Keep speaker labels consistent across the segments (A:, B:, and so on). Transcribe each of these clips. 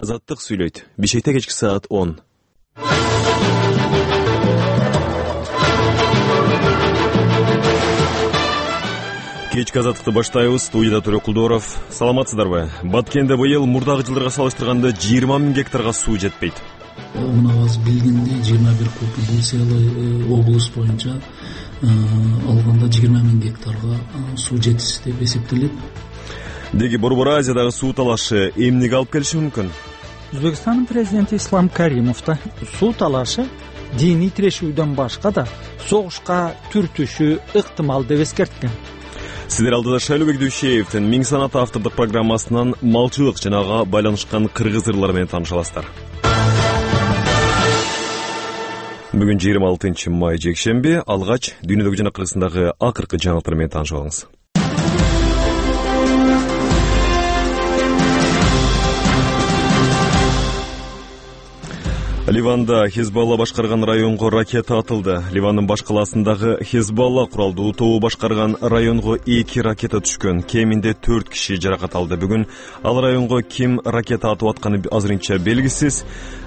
A: Азаттык сүйлөйт. Бишкекте кечки саат 10. Кечки азаттыкты баштайбыз. Студияда Төрөк Кулдоров. Саламатсыздарбы? Баткенде быйыл мурдагы жылдарга салыштырганда 20 000 гектарга суу жетпейт.
B: Мунабыз билгендей 21 Куб облус боюнча алганда 20 000 гектарга суу жетишсиз деп эсептелет.
A: Деги Борбор Азиядагы суу талашы эмнеге алып келиши мүмкүн?
C: Өзбекстандын президенти Ислам Каримов да суу талашы диний тирешүүдөн башка да согушка түртүшү ыктымал деп эскерткен.
A: Сиздер алдыда Шайлообек Дүйшеевдин Миң санат автордук программасынан малчылык жана ага байланышкан кыргыз ырлары менен тааныша аласыздар. Бүгүн 26 май жекшемби. Алгач дүйнөдөгү жана Кыргызстандагы акыркы жаңылыктар менен таанышып алыңыз. Ливанда Хизбалла башкарган районго ракета атылды. Ливандын баш калаасындагы Хизбалла куралдуу тобу башкарган районго 2 ракета түшкөн. Кеминде 4 киши жаракат алды. Бүгүн ал районго ким ракета атып атканы азырынча белгисиз.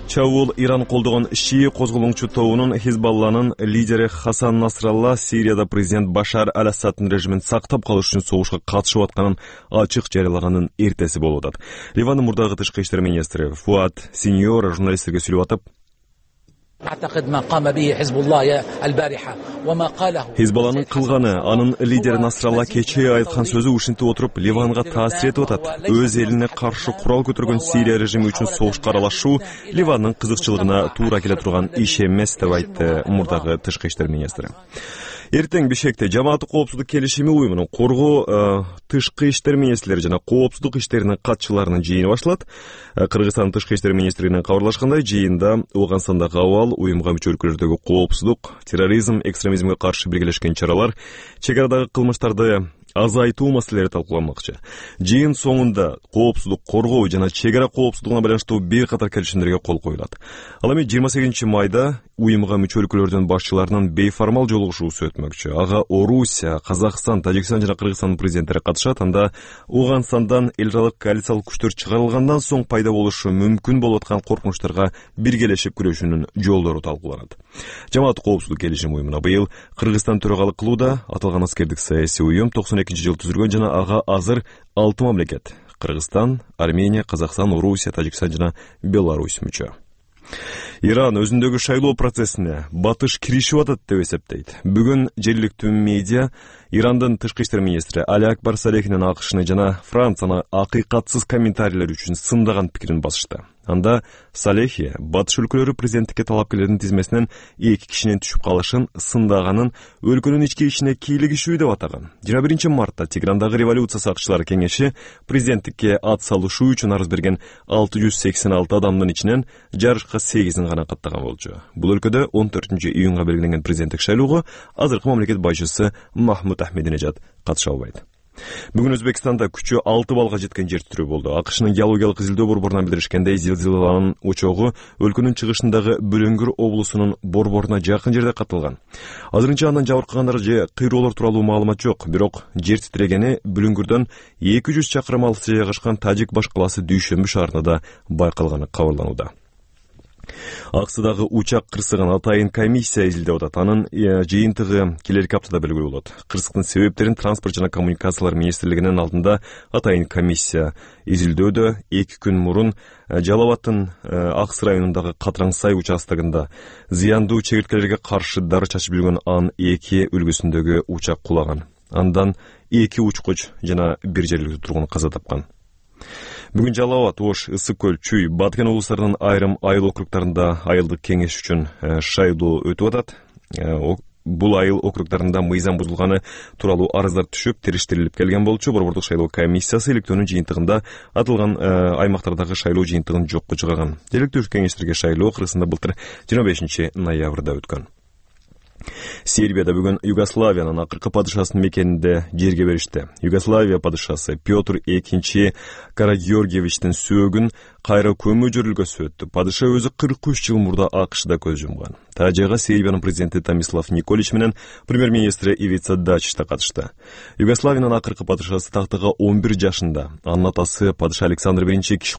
A: Чабуул Иран колдогон шии козголоңчу тобунун Хизбалланын лидери Хасан Насралла Сирияда президент Башар аль-Асаддын режимин сактап калыш үчүн согушка катышып атканын ачык жарыялаганын эртеси болуп атат. Ливандын мурдагы тышкы иштер министри Фуат Синьора журналисттерге сүйлөп атып, Хизбалланын кылганы, анын лидери Насралла кечээ айткан сөзү ушинтип отуруп Ливанга таасир этип атат. Өз элине каршы курал көтөргөн Сирия режими үчүн согушка аралашуу Ливандын кызыкчылыгына туура келе турган иш эмес деп айтты мурдагы тышкы иштер министри. Эртең Бишкекте жамааттык коопсуздук келишими уюмунун коргоо тышкы иштер министрлери жана коопсуздук иштеринин катчыларынын жыйыны башталат. Кыргызстандын тышкы иштер министрлигинин кабарлашкандай, жыйында Ооганстандагы абал, уюмга мүчө өлкөлөрдөгү коопсуздук, терроризм, экстремизмге каршы биргелешкен чаралар, чек арадагы кылмыштарды азайтуу маселелери талкууланмакчы. Жыйын соңунда коопсуздук коргоо жана чек ара коопсуздугуна байланыштуу бир катар келишимдерге кол коюлат. Ал эми 28 майда уюмга мүчө өлкөлөрдүн башчыларынын бейформал жолугушуусу өтмөкчү. Ага Орусия, Казакстан, Тажикстан жана Кыргызстандын президенттери катышат. Анда Ооганстандан эл аралык коалициялык күчтөр чыгарылгандан соң пайда болушу мүмкүн болуп аткан коркунучтарга биргелешип күрөшүүнүн жолдору талкууланат. Жамааттык коопсуздук келишим уюмуна быйыл Кыргызстан төрагалык кылууда. Аталган аскердик саясий уюм 92-жылы түзүлгөн жана ага азыр 6 мамлекет — Кыргызстан, Армения, Казакстан, Орусия, Тажикстан жана Беларусь мүчө. Иран өзүндөгү шайлоо процессине батыш киришип атат деп эсептейт. Бүгүн жергиликтүү медиа Ирандын тышкы иштер министри Али Акбар Салехинин акышны жана Францияны акыйкатсыз комментарийлер үчүн сындаган пикирин басышты. Анда Салехи батыш өлкөлөрү президенттикке талапкерлердин тизмесинен 2 кишинин түшүп калышын сындагынын өлкөнүн ички ишине кийлигишүү деп атаган. 21 мартта Теграндагы революция сакчылары кеңеши президенттикке ат салышуу үчүн арыз берген 686 адамдын ичинен жарышка 8-ин гана каттаган болчу. Бул өлкөдө 14 июнга белгиленген президенттик шайлоого азыркы мамлекет башчысы Махмуд Ахмединежад катыша албайт. Бүгүн Өзбекстанда күчү 6 балга жеткен жер титирөө болду. АКШнын геологиялык изилдөө борборунан билдиришкендей, зилзиланын очогу өлкөнүн чыгышындагы Бүлөңгүр облусунун борборуна жакын жерде катталган. Азырынча андан жабыркагандар же кыйроолор тууралуу маалымат жок, бирок жер титирегени Бүлөңгүрдөн 200 чакырым алыста жайгашкан Тажик баш калаасы Дүйшөмбү шаарында да байкалганы кабарланууда. Аксыдагы учак кырсыгын атайын комиссия изилдеп атат. Анын жыйынтыгы келерки аптада белгилүү болот. Кырсыктын себептерин транспорт жана коммуникациялар министрлигинин алдында атайын комиссия изилдөөдө 2 күн мурун Жалал Абадтын Аксы районундагы Катыраңсай участогунда зыяндуу чегирткелерге каршы дары чачып жүргөн Ан-2 үлгүсүндөгү учак кулаган. Андан 2 учкуч жана 1 жергиликтүү тургун каза тапкан. Бүгүн Жалал Абад, Ош, Ысык көл, Чүй, Баткен облустарынын айрым айыл округдарында айылдык кеңеш үчүн шайлоо өтүп атат. Бул айыл округдарында мыйзам бузулганы тууралуу арыздар түшүп, териштирилип келген болчу. Борбордук шайлоо комиссиясы иликтөөнүн жыйынтыгында атылган аймактардагы шайлоо жыйынтыгын жокко чыгарган. Жергиликтүү кеңештерге шайлоо Кыргызстанда былтыр 25 ноябрда өткөн. Сербияда бүгүн Югославиянын акыркы падышасынын мекенинде жерге беришти. Югославия падышасы Петр II Карагеоргиевичтин сөөгүн кайра көмүү жөрүлгөсү өттү. Падыша өзү 43 жыл мурда АКШда көз жумган. Тажыга Сербиянын президенти Томислав Николич менен премьер-министри Ивица Дачич да катышты. Югославиянын акыркы падышасы тактыга 11 жашында. Анын атасы падыша Александр I киши